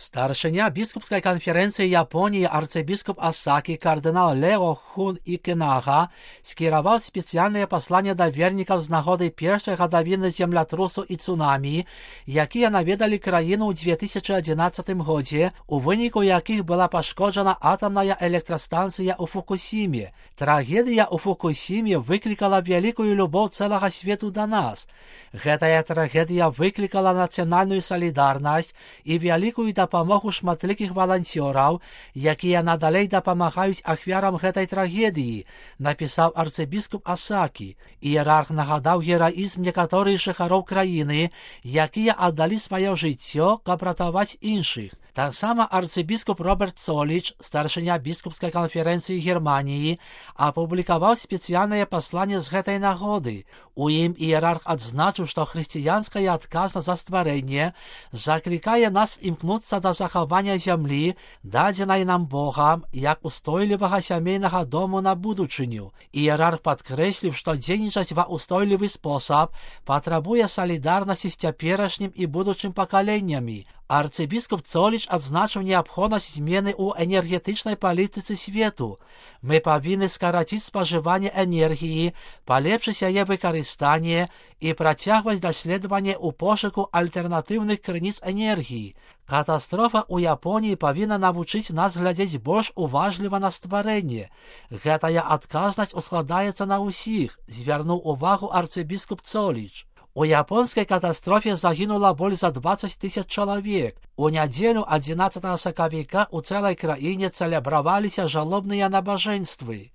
Старшыня біскупскай канферэнцыі Японіі арцыбіскуп Асакі кардынал Лео Хун Ікінага скіраваў спецыяльнае пасланне да вернікаў з нагоды першай гадавіны землятрусу і цунамі, якія наведалі краіну ў 2011 годзе, у выніку якіх была пашкоджана атамная электрастанцыя ў Фукусіме. Трагедыя ў Фукусіме выклікала вялікую любоў цэлага свету да нас. Гэтая трагедыя выклікала нацыянальную салідарнасць і вялікую дапамогу шматлікіх валанцёраў, якія надалей дапамагаюць ахвярам гэтай трагедыі, напісаў арцыбіскуп Асакі. Іерарх нагадаў гераізм некаторых жыхароў краіны, якія аддалі сваё жыццё, каб ратаваць іншых. Таксама арцыбіскуп Роберт Соліч, старшыня біскупскай канферэнцыі Германіі, апублікаваў спецыяльнае пасланне з гэтай нагоды. У ім іерарх адзначыў, што хрысціянская адказнасць за стварэнне заклікае нас імкнуцца да захавання зямлі, дадзенай нам Богам, як устойлівага сямейнага дому на будучыню. Іерарх падкрэсліў, што дзейнічаць ва ўстойлівы спосаб патрабуе салідарнасці з цяперашнім і будучым пакаленнямі. Арцыбіскуп Соліч адзначыў неабходнасць змены ў энергетычнай палітыцы свету. Мы павінны скараціць спажыванне энергіі, палепшыць яе выкарыстанне і працягваць даследаванне ў пошуку альтэрнатыўных крыніц энергіі. Катастрофа ў Японіі павінна навучыць нас глядзець больш уважліва на стварэнне. Гэтая адказнасць ускладаецца на ўсіх, звярнуў увагу арцыбіскуп Соліч. У японскай катастрофе загінула больш за 20 000 чалавек. У нядзелю 11 сакавіка ў цэлай краіне цэлебраваліся жалобныя набажэнствы.